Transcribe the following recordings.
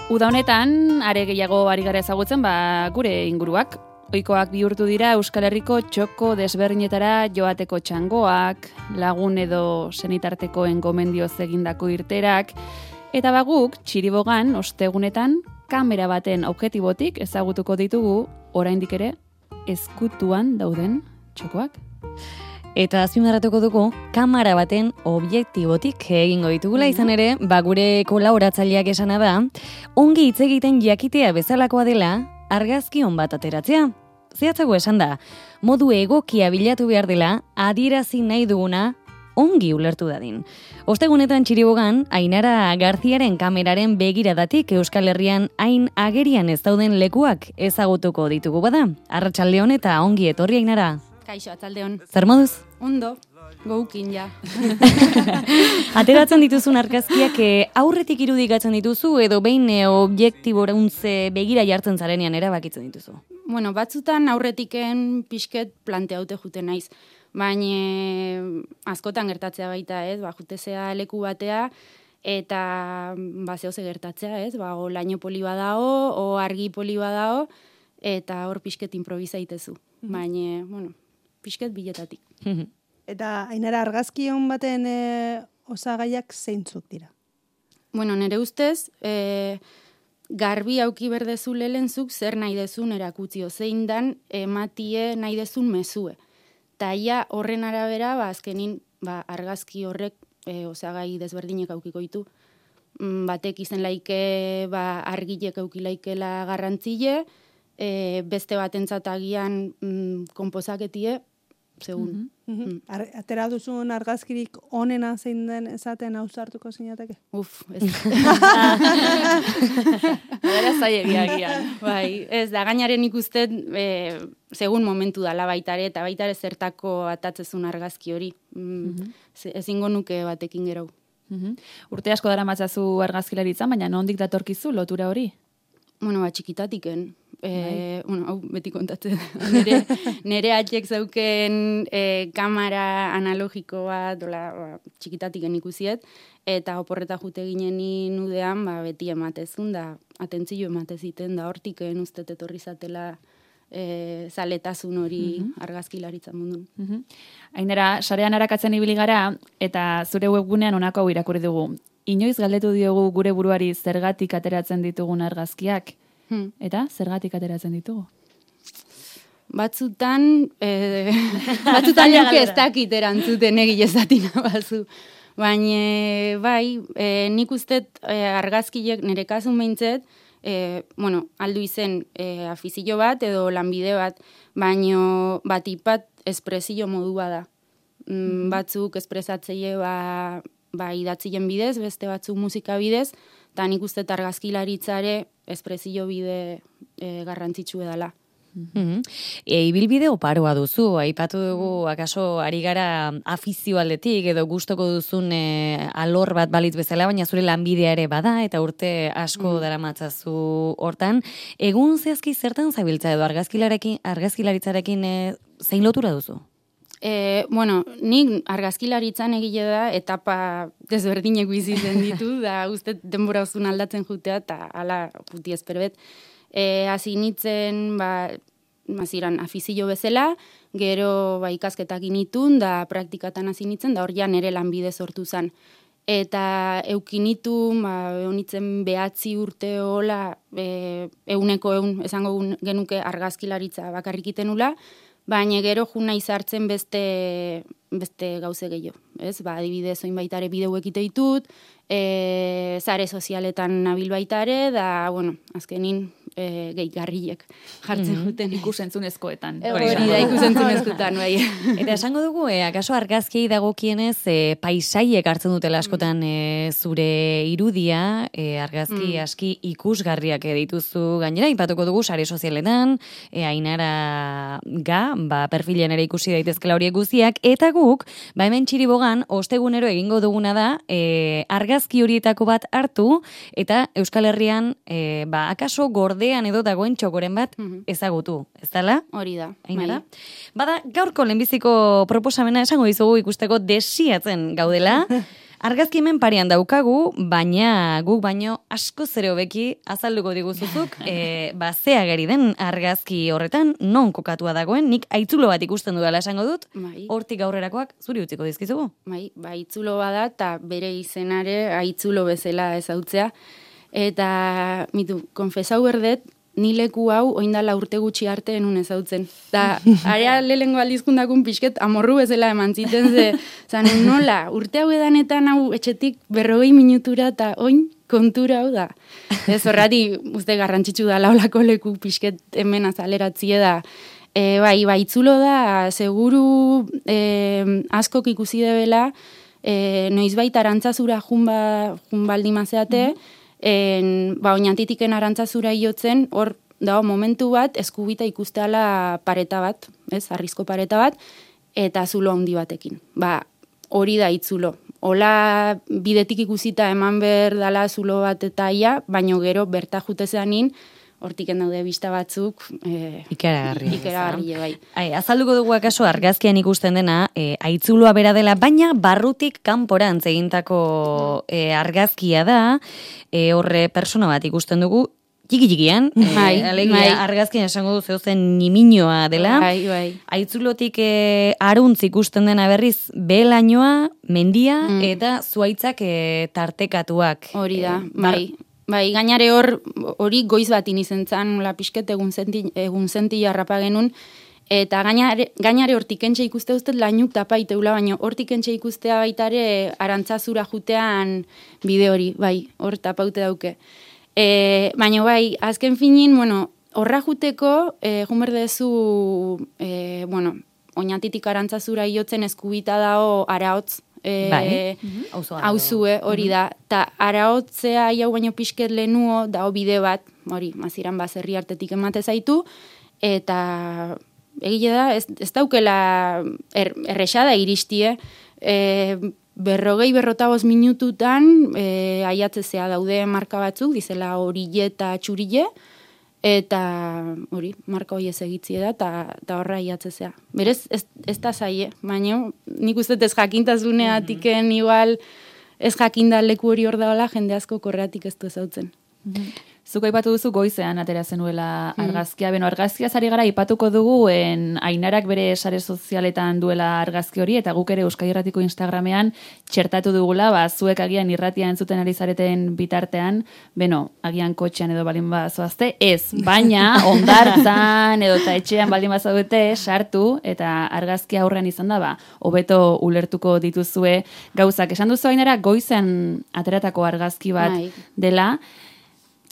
Uda honetan, are gehiago ari gara ezagutzen, gure inguruak. Ohikoak bihurtu dira Euskal Herriko txoko desberdinetara joateko txangoak, lagun edo senitartekoen gomendioz egindako irterak, eta guk Txiribogan ostegunetan kamera baten objektibotik ezagutuko ditugu oraindik ere ezkutuan dauden txokoak. Eta azpimarratuko dugu, kamera baten objektibotik egingo ditugula izan ere, gure kolaboratzaileak esana da, ongi hitz egiten jakitea bezalakoa dela, argazki on bat ateratzea. Zehatzago esan da, modu egokia bilatu behar dela, adierazi nahi duguna, ongi ulertu dadin. Ostegunetan Txiribogan, Ainara Garziaren kameraren begiradatik Euskal Herrian hain agerian ez dauden lekuak ezagutuko ditugu bada. Arratsaldeon eta ongi etorri Ainara. Kaixo, atzaldeon. Zer moduz? Ondo, goukin ja. Ateratzen dituzun argazkiak aurretik irudikatzen dituzu edo behin objektiborauntze begira jartzen zarenean erabakitzen dituzu? Bueno, batzutan aurretiken pixket planteaute jute naiz. Baina askotan gertatzea baita, ez? Jutezea leku batea eta zehoze gertatzea, ez? O laino poli badao, o argi poli badao, eta hor pixket improvisaitezu. Baina, bueno, pixket biletatik. Eta Ainara argazki hon baten osagaiak zeintzuk dira? Bueno, nire ustez, garbi auki berdezu lehentzuk zer nahi dezun erakutzio, zein dan ematie nahi dezun mezue. Ta ia horren arabera, azkenin argazki horrek osagai desberdinek aukiko ditu. Batek izen laike argilek aukilaikela garrantzile, beste batentzat agian konposaketie, segun. Atera duzun argazkirik onena zein den esaten ausartuko zinateke? Ez. Gara zailegiagian. Bai, ez da, gainaren ikustet, segun momentu dala baitare, eta baitare zertako atatzezun argazki hori. Ezingo nuke batekin gerau. Urte asko dara matzazu argazkilaritzan, baina nondik datorkizu lotura hori? Bueno, txikitatiken. Hau beti kontatzen. Nere atxek zauken kamera analogiko bat, txikitatiken ikusiet, eta oporreta jute ginen nudean, beti ematezun, da atentzio emateziten, da hortiken ustet etorri zatela zaletasun hori argazkilaritzan mundun. Ainara, sarean arakatzen ibili gara, eta zure webgunean honako hau irakurri dugu. Inoiz galdetu diogu gure buruari zergatik ateratzen ditugun argazkiak, eta zergatik ateratzen ditugu? Batzutan nuke ez dakit erantzuten egilezatina bazu. Baina, nik ustet argazkiek nire kasun behintzet, aldu izen afizio bat edo lanbide bat, baino batipat espresio modua da. Batzuk espresatzeie idatzien bidez, beste batzuk musika bidez, eta nik uste argazkilaritzare espresio bide garrantzitsu edala. Ibilbide oparoa duzu, aipatu dugu, akaso ari gara afizio aldetik edo gustoko duzun alor bat balitz bezala, baina zure lanbidea ere bada, eta urte asko daramatzazu hortan. Egun zehazki zertan zabiltza edo argazkilaritzarekin zein lotura duzu? Nik argazkilaritzan egile da, etapa desberdinek bizitzen ditu, da uste denbora uzun aldatzen jutea, eta ala puti ezperbet. Hasi nintzen, maziran afizio bezala, gero ikasketak initun, da praktikatan hasi nintzen, da hor ja nere lanbide sortu zen. Eta eukinitun, honitzen 9 urte hola, euneko esango genuke argazkilaritza bakarrikiten ula, baina gero juna izartzen beste gauze gehiago. Adibidez, oin baitare bideuek ite ditut, zare sozialetan nabil baitare, da, azkenin gehigarriek jartzen duten. Ikusentzunezkoetan. Hori da, ikusentzunezkoetan, bai. Eta esango dugu, akaso argazkiei dagokienez, paisaiek hartzen dutela askotan zure irudia, argazki aski ikusgarriak dituzu gainera, ipatuko dugu sare sozialetan, Ainara perfilen ere ikusi daitezkela horiek guztiak, eta guk, hemen Txiribogan, ostegunero egingo duguna da, argazki horietako bat hartu, eta Euskal Herrian, akaso gordean edo dagoen txokoren bat ezagutu, ez dala? Hori da. Ainara? Bada, gaurko lehenbiziko proposamena esango dizugu ikusteko desiatzen gaudela, Argazki hemen parean daukagu, baina guk baino asko zere hobeki azalduko diguzuzuk, ze ageri den argazki horretan non kokatua dagoen, nik aitzulo bat ikusten dudala esango dut, hortik aurrerakoak zuri utziko dizkizugu. Aitzulo bada eta bere izenare aitzulo bezala ezautzea. Eta, konfesau berdet, ni leku hau oindala urte gutxi arte enun ezautzen. Da, area lehengo aldizkundakun pixket amorru bezala eman ziten, zan nola, urte hau edanetan hau etxetik 40 minutura eta oin kontura hau da. Ez horrati, uste garrantzitsu da laulako leku pixket hemen azaleratzie da. Itzulo da, seguru askok ikusi debela, noizbait arantzazura junbaldi mazeate, oinantitiken arantzazura iotzen, hor dago momentu bat, eskubita ikusteala pareta bat, arrizko pareta bat, eta zulo handi batekin. Hori da itzulo. Hola bidetik ikusita eman behar dala zulo bat eta ia, baino gero berta jutezanin, hortiken daude bista batzuk. Ikeragarri, bai. Azalduko dugu akaso argazkian ikusten dena, aitzuloa bera dela, baina barrutik kanporantz egintako argazkia da, horre persona bat ikusten dugu, txiki-txikian, argazkian esango du zeuzen niminoa dela. Aitzulotik aruntz ikusten dena berriz, behelainoa, mendia, eta zuaitzak tartekatuak. Hori da, gainare hori goiz batin izen zan, pisket egun zenti jarrapa genuen, eta gainare hortik entxe ikuste duztet lainuk tapaiteula, baina hortik entxe ikustea baitare arantzazura jutean bide hori, hor tapaute dauke. Baina azken finin, horra juteko, junberdezu, oinatitik arantzazura iotzen eskubita dao araotz, hauzue hori da, eta araotzea jau baino pixket lehenuo dao bide bat, hori, maziran baserri artetik emate zaitu, eta egile da, ez daukela errexada iristie, 40-45 minututan aiatzezea daude marka batzuk, dizela horille eta txurille, eta hori, marka hori ez egitzie da, eta horra aiatzezea. Berez, ez da zaie, baina nik uste ez jakintazuneatiken igual ez jakinda leku hori hor daola, jende asko korreatik ez du ezautzen. Zuk aipatu duzu goizean atera zenuela argazkia. Argazkia zari gara aipatuko dugu Ainarak bere sare sozialetan duela argazki hori, eta guk ere Euskadi Irratiko Instagramean txertatu dugula, zuek agian irratia entzuten ari zareten bitartean, agian kotxean edo balin bazoazte, ez, baina ondartzan edo eta etxean balin bazaudete sartu, eta argazkia aurrean izan da, hobeto ulertuko dituzue gauzak. Esan duzu Ainara, goizean ateratako argazki bat dela,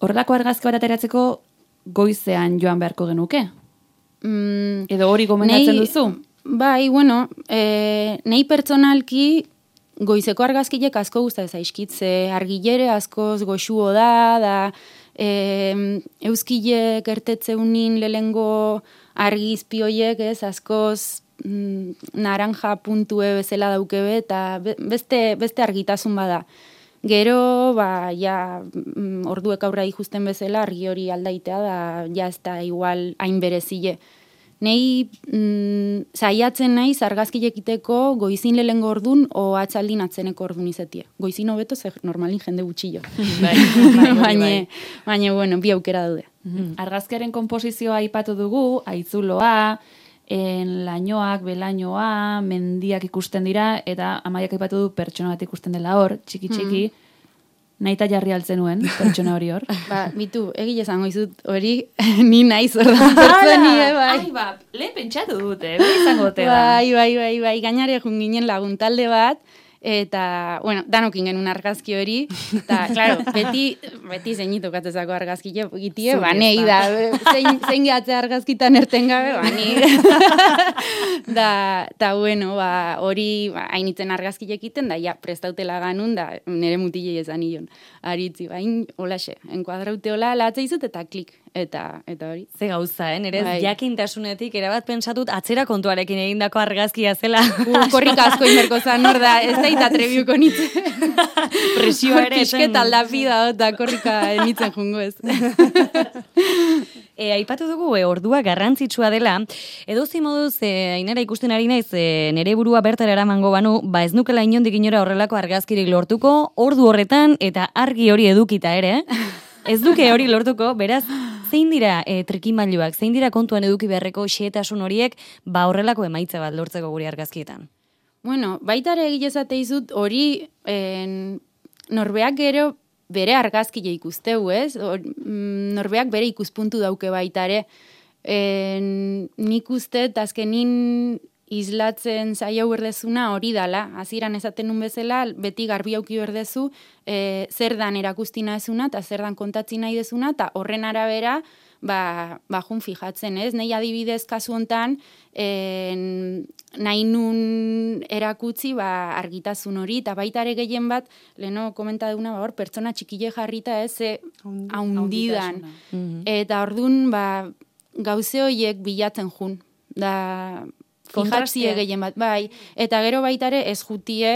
horrelako argazki bat ateratzeko goizean joan beharko genuke? Edo hori gomendatzen duzu? Nei pertsonalki goizeko argazkilek asko guzta zaizkitze, argilere askoz goxuo da euskilek ertetzeunin lehengo argizpioiek askoz naranja puntue bezala daukebe, eta beste argitasun bada. Gero, orduek aurra ikusten bezala, argi hori aldaitea da, ez da igual hain berezile. Nei zaiatzen naiz argazkilekiteko goizin lehengo ordun o atzaldin atzeneko ordun izetie. Goizin hobeto, normalin jende gutxillo. Baina, bi aukera daude. Argazkiaren konposizioa aipatu dugu, aitzuloa, lainoak, belainoa, mendiak ikusten dira, eta Amaiak aipatu du pertsona bat ikusten dela hor, txiki-txiki, nahita jarri altzen nuen, pertsona hori hor. Bitu, egile zango izut hori, ni naiz hor da pertsoni, lehen pentsatu dute, izango te da. Bai, gainare jun ginen laguntalde bat, eta, danokin genuen argazki hori, eta, klaro, beti zeinitu katzezako argazki gitie, nei da, zein gehatzea argazkitan erten gabe, ni. Da, hori, hainitzen argazki egiten, da, prestautela ganun, da, nire mutilei esan nion, aritzi, holaxe, enkuadraute hola, latza izut, eta klik, eta hori. Ze gauza, nire jakintasunetik, erabat pentsatut, atzera kontuarekin egindako argazkia zela. Korrika asko inberko zan, hor da, ez da atrebiuko nitze. Presioa ere. Pisket aldapi da, eta korrika nitzen jungo ez. Aipatu dugu, ordua garrantzitsua dela, edozein moduz, Ainara ikusten ari naiz, nere burua bertara eramango banu, ez nukela inondik inora horrelako argazkirik lortuko, ordu horretan, eta argi hori edukita ere, ez duke hori lortuko, beraz, zein dira trikimailuak, zein dira kontuan eduki beharreko xehetasun horiek, horrelako emaitza bat lortzeko gure argazkietan? Bueno, baitare egilezate izut, hori norbeak gero bere argazkile ikusteu, ez? Norbeak bere ikuspuntu dauke baitare. Nik uste, azkenin islatzen zaila berdezuna hori dala. Hasieran esaten nun bezala, beti garbi auki berdezu, zer dan erakustina ezuna, eta zer dan kontatzi nahi dezuna, eta horren arabera, jun fijatzen, ez? Nei adibidez kasu hontan, nahi nun erakutzi argitasun hori, eta baita ere gehien bat, leheno komenta duguna, hor pertsona txikile jarrita ez, haundidan. Eta orduan, gauze horiek bilatzen jun. Da, fijatzia gehien bat, bai. Eta gero baitare ez jutie,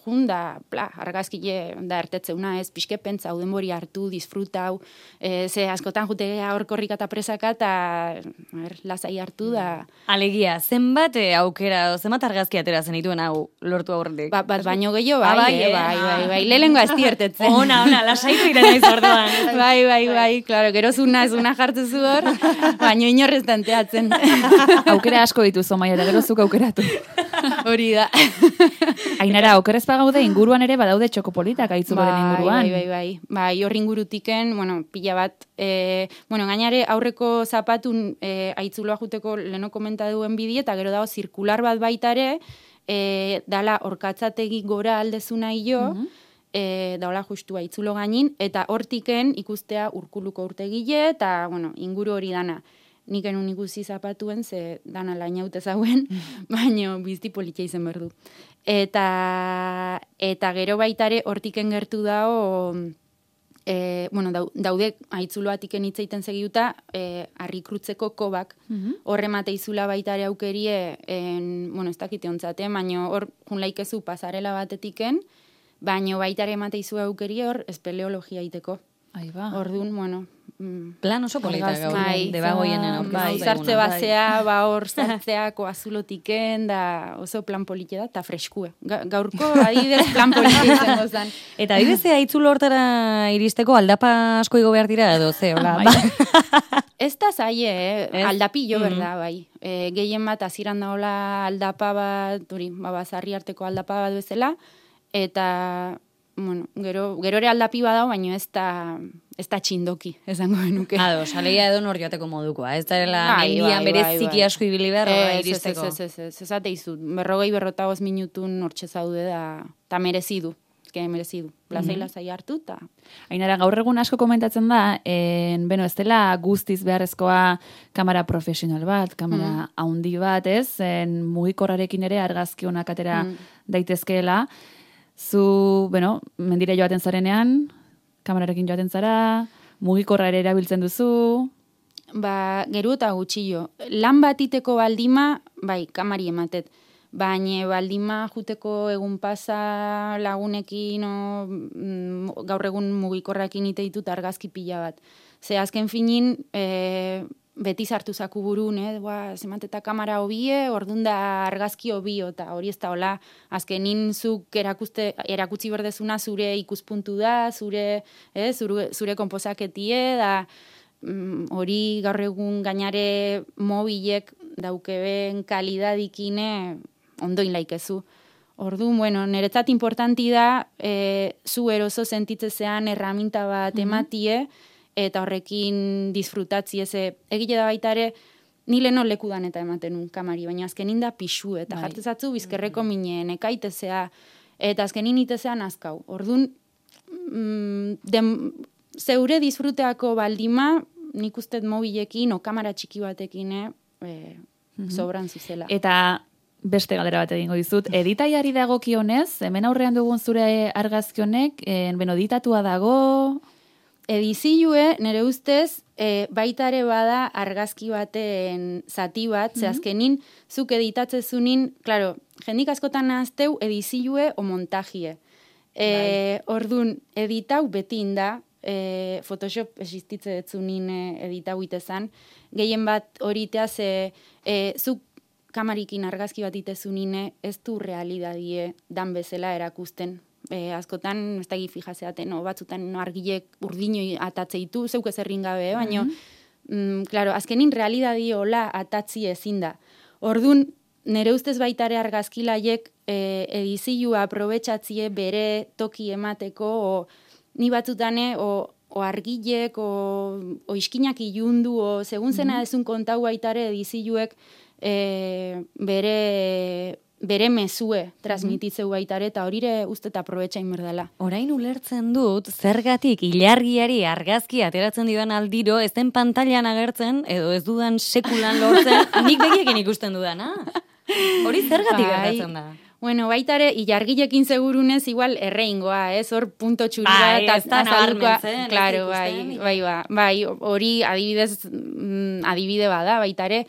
jun da, argazkile da ertetzeuna, ez pixke pentsa, denbori hartu, disfrutau, ze askotan jute hor korrika eta presaka, eta lasai hartu da. Alegia, zenbat aukera, zenbat argazki atera zenituen hau lortu aurretik? Bat baino gehiago, bai. Lehengo azti ertetzen. Ona, lasaitu irenaiz orduan. Bai, klaro, gero zuna hartu zu hor, baino inorrez tanteatzen. Aukera asko dituzu, Maiara, gero zuk aukeratu. Hori da. Ainara, okerrez pagaude inguruan ere badaude txokopolitak aitzuloren inguruan. Bai, horri ingurutiken, pila bat, gainare aurreko zapatun aitzuloa juteko leno komenta duen bidi, eta gero dago zirkular bat baitare, dala orkatzategi gora aldezuna hilo, daola justu aitzulo gainin, eta hortiken ikustea urkuluko urtegile, eta inguru hori dana. Nik enun ikusi zapatuen, ze dana lainaute zauen, baina bizti politia izen berdu. Eta gero baitare hortiken gertu dao, daude aitzuloatiken hitzeiten segiuta, harrikrutzeko kobak, horremate izula baitare aukerie, ez dakite ontzate, baina hor junlaikezu pasarela batetiken, baina baitare emate izu aukerie hor espeleologia iteko. Orduan, plan oso polita gaur, debagoienen aurkeztu. Zartze basea, hor zartzeako azulotiken, da oso plan polite da, eta freskue. Gaurko adibidez plan polite izango zen. Eta adibidez, aitzulo hortara iristeko aldapa asko igo behar dira edo, ze, hola? Ez da zaie, aldapillo, berda, bai. Gehien bat, aziran daola aldapa bat, bazarri arteko aldapa bat bezala, eta... gero ere aldapi badao, baina ez da txindoki, esango genuke. Alegia edo nor joateko modukoa, ez da mendian bereziki asko ibili behar iristeko. Ez izut, 40-45 minutun hortxe zaude da, eta merezidu, lazai hartu, eta... Ainara, gaur egun asko komentatzen da, ez dela guztiz beharrezkoa kamera profesional bat, kamera haundi bat, ez, mugikorrarekin ere argazki honak atera daitezkeela. Zu, mendire joaten zarenean, kamerarekin joaten zara, mugikorra ere erabiltzen duzu? Geru eta gutxillo. Lan batiteko baldima, kamari ematet. Baina baldima juteko egun pasa lagunekin, gaur egun mugikorrakin ite ditut argazki pila bat. Ze azken finin, beti sartu zaku burun, zemanteta kamara hobie, orduan da argazki hobio, eta hori ez da hola, azkenin zuk erakutsi berdezuna zure ikuspuntu da, zure konposaketie, da hori gaur egun gainare mobilek daukeben kalidadikine ondoin laikezu. Orduan, niretzat importanti da, zu eroso sentitzezean erraminta bat ematie, eta horrekin disfrutatzi egile da baita ere, ni leheno lekudan eta ematen un kamari, baina azkenin da pixu, eta jartezatzu bizkerreko minen, ekaitezea, eta azkenin itezean azkau. Orduan, zeure disfruteako baldima, nik ustet mobilekin, kamera txiki batekin, sobran zuzela. Eta beste galdera bat egingo dizut, editaiari dagokionez, hemen aurrean dugun zure argazki honek, editatua dago... Edizilue, nire ustez, baitare bada argazki baten zati bat, ze azkenin, zuk editatzezunin, klaro, jendik askotan nahazteu edizilue o montajie. Orduan, editau beti inda, Photoshop existitze etzunin edita guitezan, gehien bat horitea zuk kamarikin argazki bat itezunine ez du realidadie dan bezala erakusten. Askotan, ez da fijazeaten, batzutan argilek urdinoi atatzeitu, zeuk ez errin gabe, baina, claro, azkenin realidadi hola atatzi ezin da. Ordun nere ustez baitare argazkilaiek edizioa aprobetxatzie bere toki emateko, ni batzutane, o argilek, o iskinak ilundu, o segun zena ezun kontau baitare edizioek bere mezue transmititzeu baitare, eta horire uste eta aprobetxain berdala. Orain ulertzen dut, zergatik ilargiari argazki ateratzen didan aldiro, ez den pantailan agertzen, edo ez dudan sekulan lortzen, nik begiekin ikusten dudana. Hori zergatik gertatzen da? Bueno, baitare, ilargilekin segurunez, igual erreingoa, hor punto txurua, eta azaldukoa. Claro, bai, hori adibide bada, baitare,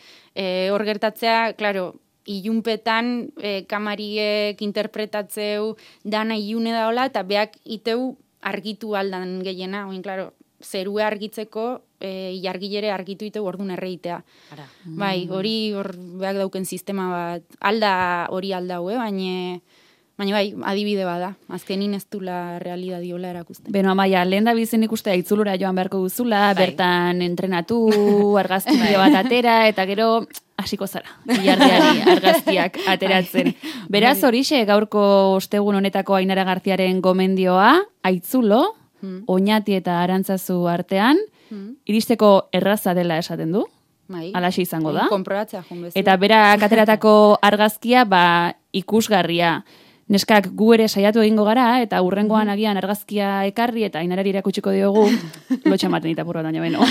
hor gertatzea, claro, ilunpetan kamariek interpretatzeu dana ilune daola, eta beak iteu argitu aldan gehiena, oin, claro, zerue argitzeko ilargilere argitu iteu ordun erreitea. Bai, hori hor beak dauken sistema bat, hori aldau, baina bai, adibide bada, azkenin ez dula realidadiola erakusten. Beno, Amaia, lehen da bizen ikustea itzulura joan beharko duzula, bertan entrenatu, argazki bat atera, eta gero hasiko zara, ilargiari argazkiak ateratzen. Beraz, horixe gaurko ostegun honetako Ainara Garziaren gomendioa, aitzulo, Oñati eta Arantzazu artean, iristeko erraza dela esaten du, alaxe izango da. Konprobatzea joan bezala. Eta berak ateratako argazkia ikusgarria. Neskak gu ere saiatu egingo gara, eta urrengoan agian argazkia ekarri, eta Ainarari erakutsiko diogu, lotxa maten itapur bat baina beno.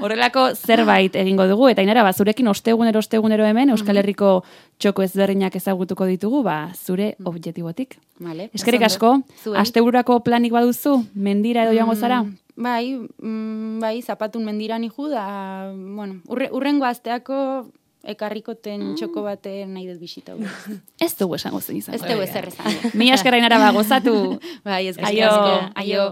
Horrelako zerbait egingo dugu, eta Ainara, zurekin ostegunero hemen, Euskal Herriko txoko ezberdinak ezagutuko ditugu, zure objektibotik. Eskerrik asko, astebururako planik baduzu, mendira edo joango zara? Bai, zapatun mendiran iju da, bueno, urrengo asteako ekarrikoten txoko baten nahi dut bisita. Ez dugu esango zen izango. Ez dugu ezer esango. Mila esker Ainara gozatu. Bai, eskerrik asko. Aio.